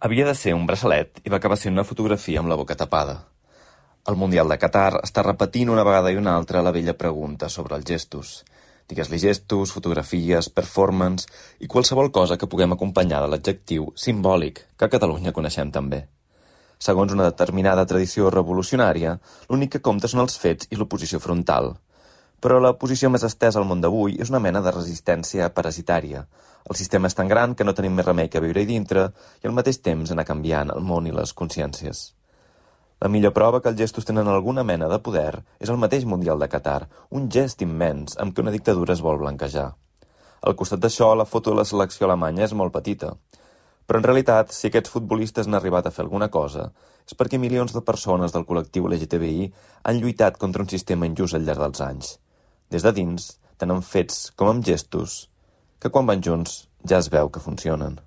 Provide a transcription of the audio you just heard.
Havia de ser un braçalet i va acabar sent una fotografia amb la boca tapada. El Mundial de Qatar està repetint una vegada i una altra la vella pregunta sobre els gestos. Digues-li gestos, fotografies, performance i qualsevol cosa que puguem acompanyar de l'adjectiu simbòlic que a Catalunya coneixem també. Segons una determinada tradició revolucionària, l'únic que compta són els fets i l'oposició frontal. Però la posició més estesa al món d'avui és una mena de resistència parasitària. El sistema és tan gran que no tenim més remei que viure-hi dintre i al mateix temps anar canviant el món i les consciències. La millor prova que els gestos tenen alguna mena de poder és el mateix Mundial de Qatar, un gest immens amb què una dictadura es vol blanquejar. Al costat d'això, la foto de la selecció alemanya és molt petita. Però en realitat, si aquests futbolistes han arribat a fer alguna cosa, és perquè milions de persones del col·lectiu LGTBI han lluitat contra un sistema injust al llarg dels anys. Des de dins, tant amb fets com amb gestos, que quan van junts ja es veu que funcionen.